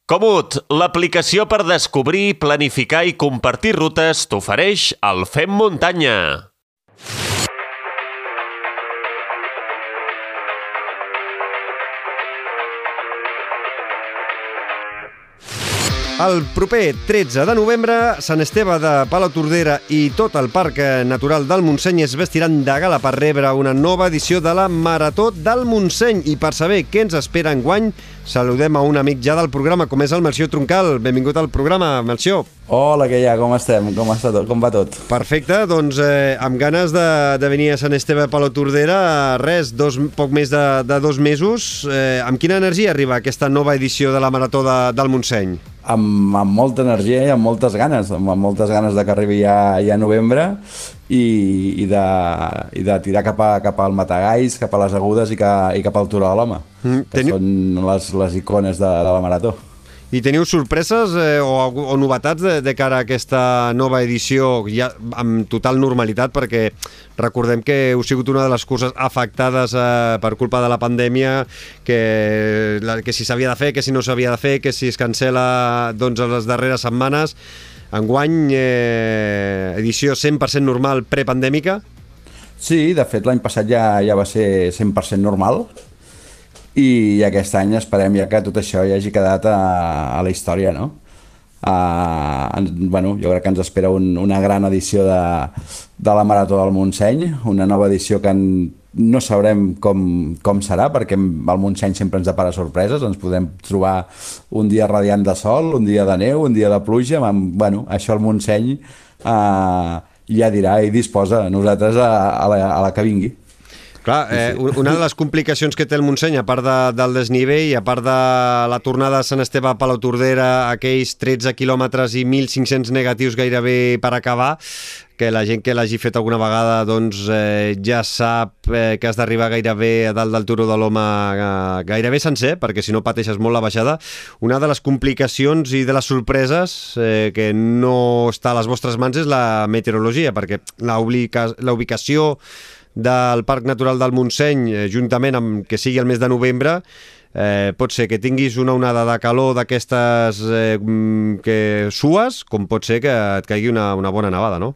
Komoot, l'aplicació per descobrir, planificar i compartir rutes t'ofereix el Fem Muntanya. El proper 13 de novembre, Sant Esteve de Palautordera i tot el Parc Natural del Montseny es vestiran de gala per rebre una nova edició de la Marató del Montseny. I per saber què ens espera enguany, saludem a un amic ja del programa, com és el Melcior Troncal. Benvingut al programa, Melcior. Hola, què hi ha? Com estem? Com va tot? Perfecte, doncs amb ganes de venir a Sant Esteve de Palautordera, poc més de 2 mesos. Amb quina energia arriba aquesta nova edició de la Marató del Montseny? Amb molta energia i amb moltes ganes de que arribi ja a novembre i de tirar cap al Matagalls, cap a les Agudes i cap al Turó de l'Home, que són les icones de la Marató. I teniu sorpreses o novetats de cara a aquesta nova edició ja amb total normalitat, perquè recordem que heu sigut una de les curses afectades per culpa de la pandèmia, que si s'havia de fer, que si no s'havia de fer, que si es cancela doncs, a les darreres setmanes. Enguany, edició 100% normal prepandèmica? Sí, de fet l'any passat ja va ser 100% normal, i aquest any esperem ja que tot això ja hagi quedat a la història, no? Jo crec que ens espera una gran edició de la Marató del Montseny, una nova edició que no sabrem com serà, perquè el Montseny sempre ens depara sorpreses. Ens podem trobar un dia radiant de sol, un dia de neu, un dia de pluja. Això el Montseny ja dirà i disposa a nosaltres a la que vingui. Clar, una de les complicacions que té el Montseny, a part del desnivell, a part de la tornada de Sant Esteve a Palautordera, aquells 13 quilòmetres i 1.500 negatius gairebé per acabar, que la gent que l'hagi fet alguna vegada doncs, ja sap que has d'arribar gairebé a dalt del Turó de l'Home gairebé sencer, perquè si no pateixes molt la baixada. Una de les complicacions i de les sorpreses que no està a les vostres mans és la meteorologia, perquè la ubicació del Parc Natural del Montseny, juntament amb que sigui el mes de novembre, pot ser que tinguis una onada de calor d'aquestes que sues, com pot ser que et caigui una bona nevada, no?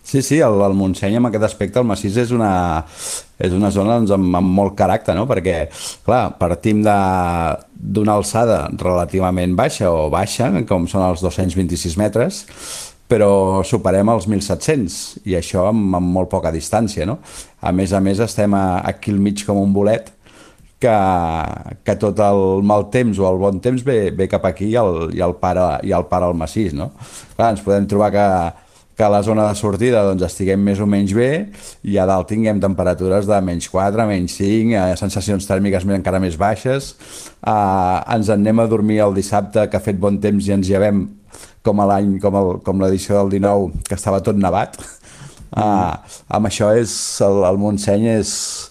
Sí, el Montseny en aquest aspecte, el massís és una zona doncs, amb molt caràcter, no? Perquè, clar, partim d'una alçada relativament baixa o baixa, com són els 226 metres, però superem els 1.700, i això amb molt poca distància, no? A més, estem aquí al mig com un bolet, que tot el mal temps o el bon temps ve cap aquí i el para el massís, no? Clar, ens podem trobar que a la zona de sortida doncs, estiguem més o menys bé, i a dalt tinguem temperatures de -4, -5, sensacions tèrmiques encara més baixes. Ens en anem a dormir el dissabte, que ha fet bon temps, i ens llevem com l'edició del 19, que estava tot nevat. Amb això el Montseny és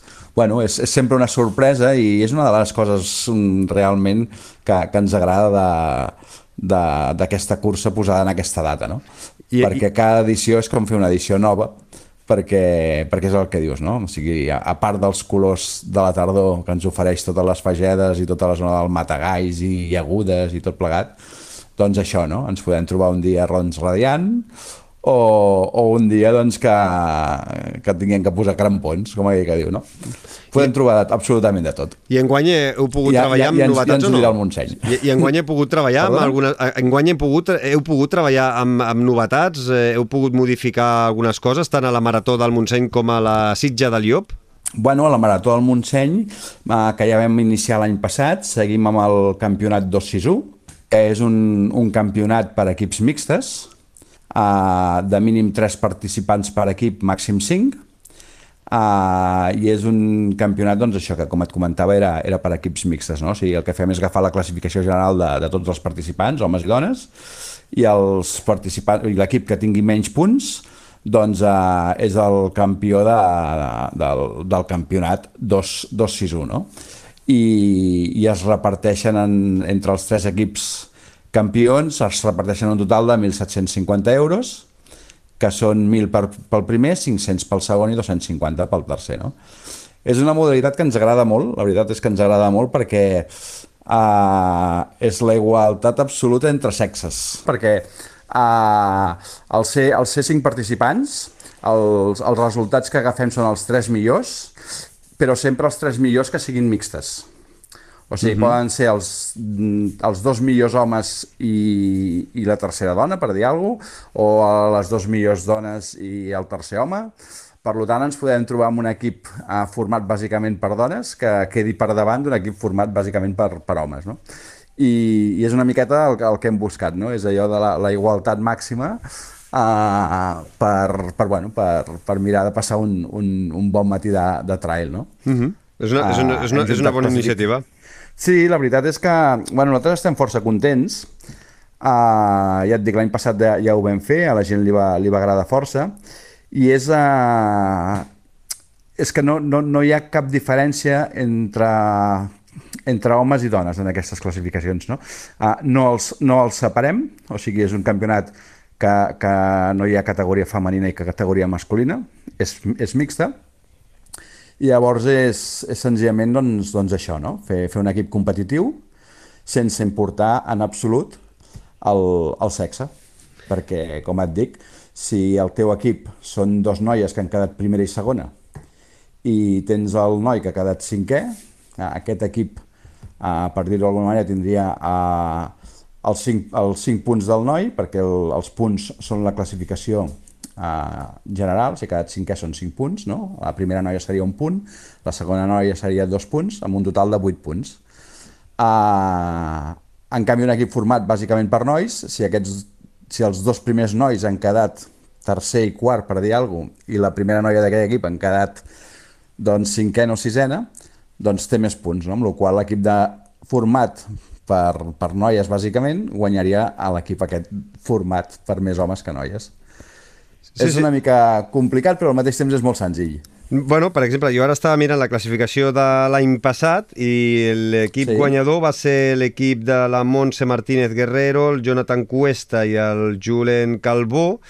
sempre una sorpresa, i és una de les coses realment que ens agrada d'aquesta cursa posada en aquesta data, no? Perquè cada edició és com fer una edició nova, perquè és el que dius, no? O sigui, a part dels colors de la tardor que ens ofereix totes les fagedes i tota la zona del Matagalls i Agudes i tot plegat, doncs això, no? Ens podem trobar un dia radiant o un dia doncs, que tinguem que posar crampons, com aquell que diu, no? Podem trobar absolutament de tot. I enguany heu pogut treballar amb novetats o no? Ja ens ho dirà el Montseny. I enguany heu pogut treballar amb algunes... Enguany heu pogut treballar amb novetats? Heu pogut modificar algunes coses, tant a la Marató del Montseny com a la Sitja del Llop? A la Marató del Montseny, que ja vam iniciar l'any passat, seguim amb el campionat 261, que és un campionat per equips mixtes, de mínim 3 participants per equip, màxim 5, i és un campionat, doncs això, que com et comentava era per equips mixtes, no? O sigui, el que fem és agafar la classificació general de tots els participants, homes i dones, i l'equip que tingui menys punts doncs és el campió del campionat 261, no? I es reparteixen entre els 3 equips campions, es reparteixen un total de 1.750 euros, que són 1.000 pel primer, 500 pel segon i 250 pel tercer, no? És una modalitat que ens agrada molt, la veritat és que ens agrada molt, perquè és la igualtat absoluta entre sexes, perquè al ser 5 participants, els resultats que agafem són els 3 millors, però sempre els 3 millors que siguin mixtes. O sigui, poden ser els 2 millors homes i la tercera dona, per dir alguna cosa, o les 2 millors dones i el tercer home. Per tant, ens podem trobar amb un equip format bàsicament per dones que quedi per davant d'un equip format bàsicament per homes, no? I és una miqueta el que hem buscat, no? És allò de la igualtat màxima per mirar de passar un bon matí de trail, no? És una bona iniciativa. Sí, la veritat és que nosaltres estem força contents. Ja et dic, l'any passat ja ho vam fer, a la gent li va agradar força, i és que no hi ha cap diferència entre homes i dones en aquestes classificacions, no? No els separem, o sigui, és un campionat que no hi ha categoria femenina i categoria masculina, és mixta, i llavors és senzillament doncs això, no? Fer un equip competitiu sense importar en absolut el sexe, perquè, com et dic, si el teu equip són 2 noies que han quedat primera i segona i tens el noi que ha quedat 5è, aquest equip, per dir-ho d'alguna manera, tindria els 5 punts del noi, perquè els punts són la classificació general. Si ha quedat 5è són 5 punts, no? La primera noia seria 1 punt, la segona noia seria 2 punts, amb un total de 8 punts. En canvi, un equip format bàsicament per nois, si els 2 primers nois han quedat tercer i quart, per dir alguna cosa, i la primera noia d'aquell equip han quedat 5è o 6è, doncs té més punts, no? Amb la qual cosa l'equip format per noies, bàsicament, guanyaria a l'equip aquest format per més homes que noies. És una mica complicat, però al mateix temps és molt senzill. Bueno, per exemple, jo ara estava mirant la classificació de l'any passat i l'equip guanyador va ser l'equip de la Montse Martínez Guerrero, el Jonathan Cuesta i el Julen Calvo.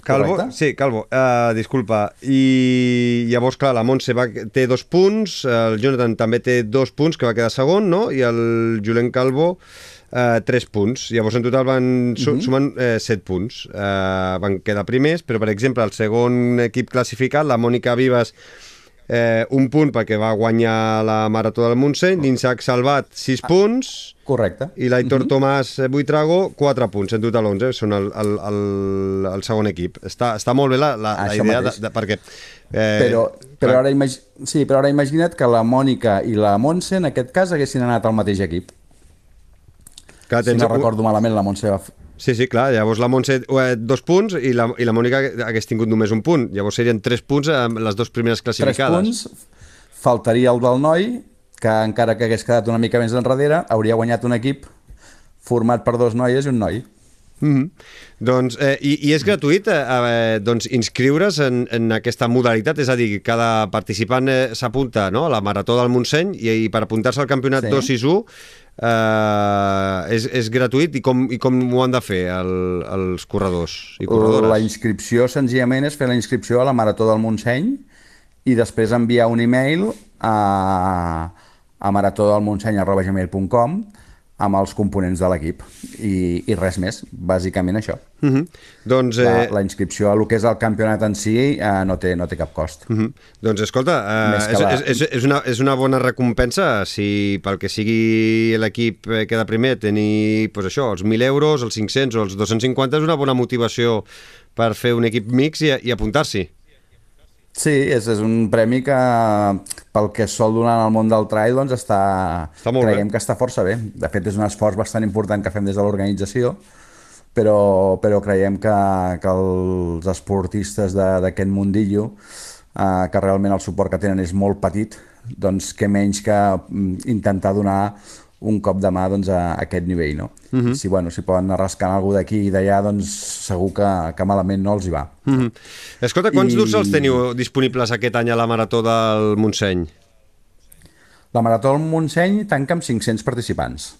Calvo, sí, Calvo, disculpa. I llavors, clar, la Montse té 2 punts, el Jonathan també té 2 punts, que va quedar segon, no? I el Julen Calvo 3 punts. Llavors, en total van sumant 7 punts. Van quedar primers, però, per exemple, el segon equip classificat, la Mònica Vives, 1 punt perquè va guanyar la Marató del Montseny, l'Isaac Salvat 6 punts. Correcte. I l'Aitor Tomàs Buitrago 4 punts, en total 11, són el segon equip. Està molt bé la idea perquè... Però ara imagina't que la Mònica i la Montse en aquest cas haguessin anat al mateix equip. Si no recordo malament, la Montse va... Sí, clar, llavors la Montse 2 punts i la Mònica hagués tingut només 1 punt. Llavors serien 3 punts amb les 2 primeres classificades. 3 punts, faltaria el del noi, que encara que hagués quedat una mica més enrere, hauria guanyat un equip format per 2 noies i un noi. Doncs, i és gratuït inscriure's en aquesta modalitat, és a dir, cada participant s'apunta a la Marató del Montseny i per apuntar-se al campionat 261 és gratuït, i com ho han de fer els corredors i corredores? La inscripció senzillament és fer la inscripció a la Marató del Montseny i després enviar un e-mail a maratodelmontseny@gmail.com amb els components de l'equip i res més, bàsicament això. Doncs, la inscripció a el que és el campionat en si no té cap cost. Doncs escolta, és una bona recompensa si pel que sigui l'equip queda primer tenir els 1.000 euros, els 500 o els 250 és una bona motivació per fer un equip mix i apuntar-s'hi. Sí, és un premi que pel que es sol donar en el món del trail doncs creiem que està força bé. De fet, és un esforç bastant important que fem des de l'organització, però creiem que els esportistes d'aquest mundillo, que realment el suport que tenen és molt petit, doncs què menys que intentar donar un cop de mà a aquest nivell, no? Si poden anar rascant alguna d'aquí i d'allà, doncs segur que malament no els hi va. Escolta, quants dorsals teniu disponibles aquest any a la Marató del Montseny? La Marató del Montseny tanca amb 500 participants.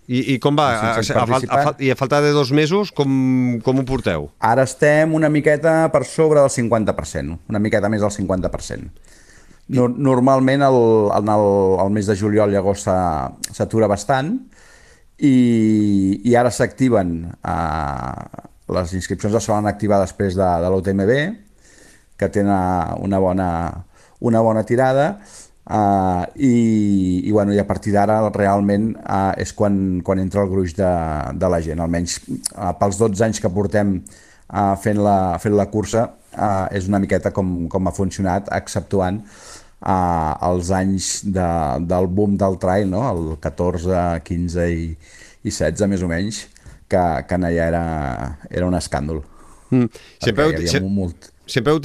I com va? I a falta de 2 mesos, com ho porteu? Ara estem una miqueta per sobre del 50%, una miqueta més del 50%. Normalment el mes de juliol i agost s'atura bastant i ara s'activen les inscripcions es solen activar després de l'UTMB, que tenen una bona tirada, i a partir d'ara realment és quan entra el gruix de la gent, almenys pels 12 anys que portem fent la cursa, és una miqueta com ha funcionat, exceptuant els anys del boom del trail, no? El 14, 15 i 16 més o menys, que allà era un escàndol. Sempre heu tingut sempre heu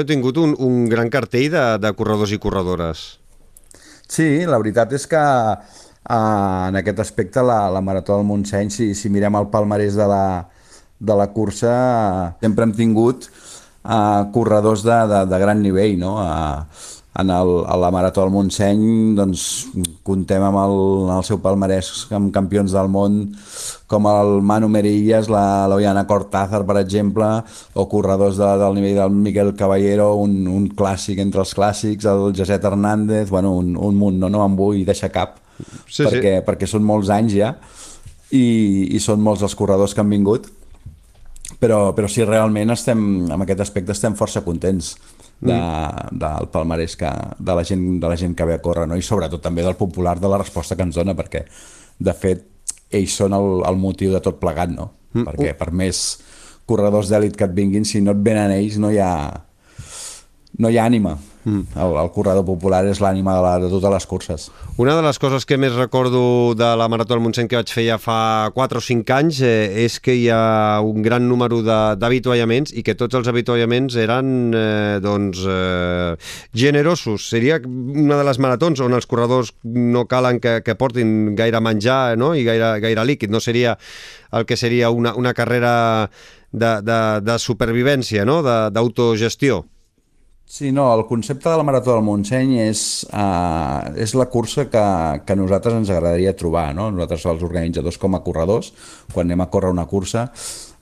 tingut un gran cartell de corredors i corredores. Sí, la veritat és que en aquest aspecte la Marató del Montseny, si mirem el palmarès de la cursa, sempre hem tingut corredors de gran nivell, no? A la Marató del Montseny doncs, comptem amb el seu palmarès amb campions del món com el Manu Merillas, l'Oiana Cortázar, per exemple, o corredors del nivell del Miguel Caballero, un clàssic entre els clàssics, el José Hernández, bueno, un munt, no em vull deixar cap, perquè són molts anys ja, i són molts els corredors que han vingut, però sí, realment en aquest aspecte estem força contents del palmarès de la gent que ve a córrer, no? I sobretot també del popular, de la resposta que ens dona, perquè de fet ells són el motiu de tot plegat, no? Perquè per més corredors d'èlit que et vinguin, si no et venen ells no hi ha ànima. El corredor popular és l'ànima de totes les curses. Una de les coses que més recordo de la Marató del Montseny que vaig fer ja fa 4 o 5 anys és que hi ha un gran número d'avituallaments i que tots els avituallaments eren generosos. Seria una de les maratons on els corredors no calen que portin gaire menjar, no? I gaire líquid. No seria el que seria una carrera de supervivència, no? D'autogestió. Sí, no, el concepte de la Marató del Montseny és la cursa que a nosaltres ens agradaria trobar, no? Nosaltres, els organitzadors com a corredors, quan anem a córrer una cursa,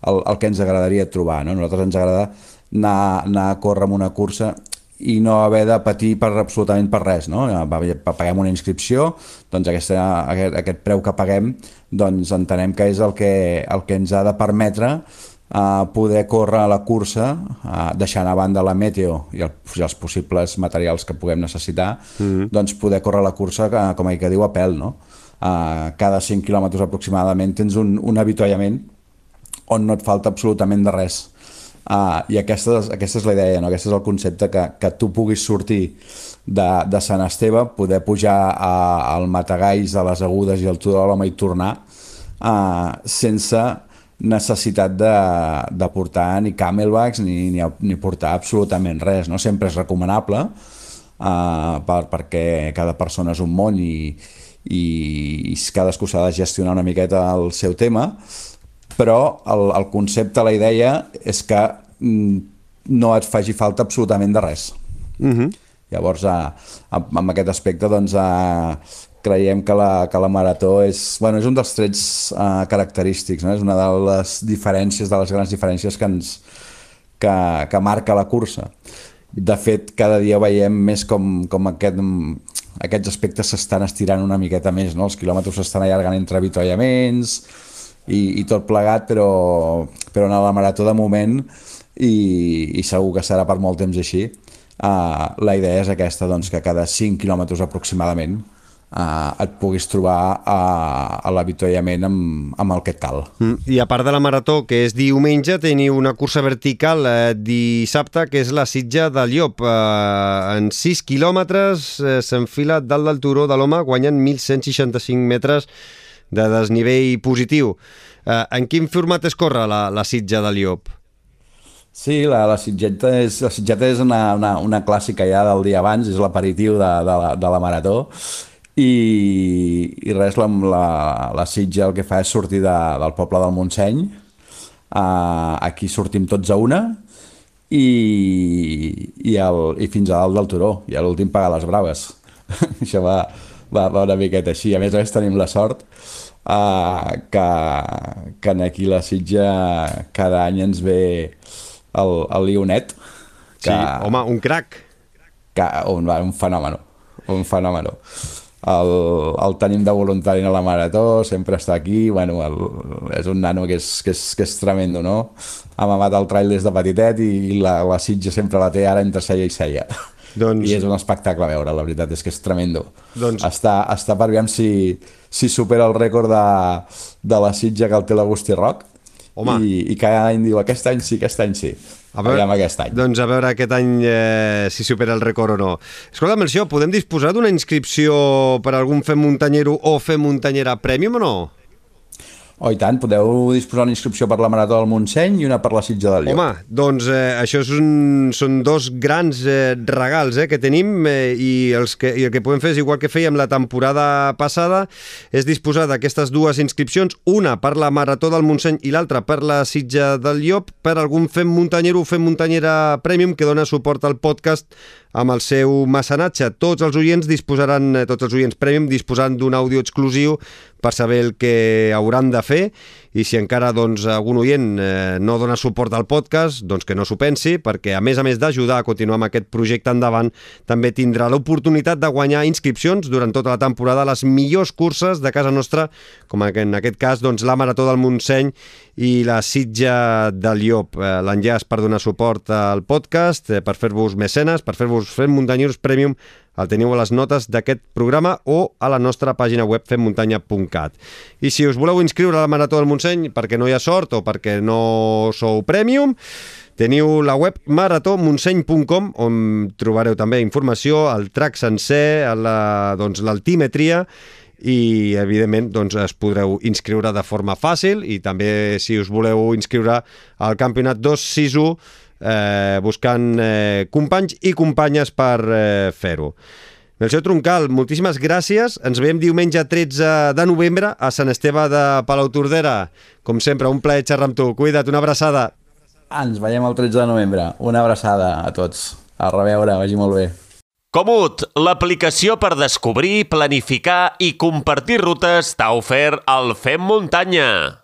el que ens agradaria trobar, no? Nosaltres ens agrada anar a córrer en una cursa i no haver de patir absolutament per res, no? Paguem una inscripció, doncs aquest preu que paguem, doncs entenem que és el que ens ha de permetre poder córrer a la cursa, deixant a banda la meteo i els possibles materials que puguem necessitar, doncs poder córrer la cursa, com que diu, a pèl, no? Cada 5 quilòmetres aproximadament tens un avituallament on no et falta absolutament de res. I aquesta és la idea, no? Aquest és el concepte, que tu puguis sortir de Sant Esteve, poder pujar al Matagalls, a les Agudes i al Turó de l'Home i tornar sense necessitat de portar ni camelbacks ni portar absolutament res, no? Sempre és recomanable perquè cada persona és un món i cadascú s'ha de gestionar una miqueta el seu tema, però el concepte, la idea és que no et faci falta absolutament de res. Llavors, en aquest aspecte, doncs, creiem que la marató és un dels trets característics, no? És una de les diferències, de les grans diferències que marca la cursa. De fet, cada dia veiem més com aquests aspectes s'estan estirant una miqueta més, no? Els quilòmetres s'estan allargant entre avituallaments i tot plegat, però en la marató de moment, i segur que serà per molt temps així, la idea és aquesta, doncs, que cada 5 quilòmetres aproximadament et puguis trobar a l'avituallament amb el que et cal. I a part de la marató, que és diumenge, teniu una cursa vertical dissabte, que és la Sitja del Llop. En 6 quilòmetres s'enfila dalt del Turó de l'Home, guanyant 1.165 metres de desnivell positiu. En quin format es corre la Sitja del Llop? Sí, la sitgeta és una clàssica ja del dia abans, és l'aperitiu de la marató, i res, la Sitja el que fa és sortir del poble del Montseny. Aquí sortim tots a una i fins a dalt del Turó, i a l'últim pagar les braves. Això va una miqueta així. A més tenim la sort que aquí la Sitja cada any ens ve el Lionet. Sí, home, un crac. un fenòmeno. El tenim de voluntari a la marató, sempre està aquí, bueno, és un nano que és tremendo, no? Ha mamat el trail des de petitet i la Sitja sempre la té ara entre ceia i ceia. Doncs... I és un espectacle a veure, la veritat és que és tremendo. Doncs... Està per veure si supera el rècord de la Sitja que el té l'Agustí Roc. I cada any diu aquest any sí. Aviam aquest any. Doncs a veure aquest any si supera el rècord o no. Escolta, Melcior, podem disposar d'una inscripció per a algun Fem Muntanyero o Fem Muntanyera Premium o no? Oh, i tant, podeu disposar una inscripció per la Marató del Montseny i una per la Sitja del Llop. Home, doncs això són dos grans regals que tenim i el que podem fer és igual que fèiem la temporada passada, és disposar d'aquestes dues inscripcions, una per la Marató del Montseny i l'altra per la Sitja del Llop, per algun Fem Muntanyero o Fem Muntanyera Premium que dona suport al podcast amb el seu mecenatge. Tots els oients Premium disposaran d'un àudio exclusiu per saber el que hauran de fer, i si encara algun oient no dona suport al podcast, doncs que no s'ho pensi, perquè a més d'ajudar a continuar amb aquest projecte endavant, també tindrà l'oportunitat de guanyar inscripcions durant tota la temporada a les millors curses de casa nostra, com en aquest cas la Marató del Montseny i la Sitja del Llop. L'enllaç per donar suport al podcast, per fer-vos mecenes, per fer-vos Fem Muntanyeros Premium, el teniu a les notes d'aquest programa o a la nostra pàgina web femmuntanya.cat. I si us voleu inscriure a la Marató del Montseny perquè no hi ha sort o perquè no sou Premium, teniu la web maratomontseny.com, on trobareu també informació, el track sencer, l'altímetria, i evidentment es podreu inscriure de forma fàcil, i també si us voleu inscriure al campionat 261 buscant companys i companyes per fer-ho. Melcior Troncal, moltíssimes gràcies. Ens veiem diumenge 13 de novembre a Sant Esteve de Palautordera. Com sempre, un plaer xerrar amb tu. Cuida't, una abraçada. Ens veiem el 13 de novembre. Una abraçada a tots. A reveure, vagi molt bé. Komoot, l'aplicació per descobrir, planificar i compartir rutes t'ha ofert el Fem Muntanya.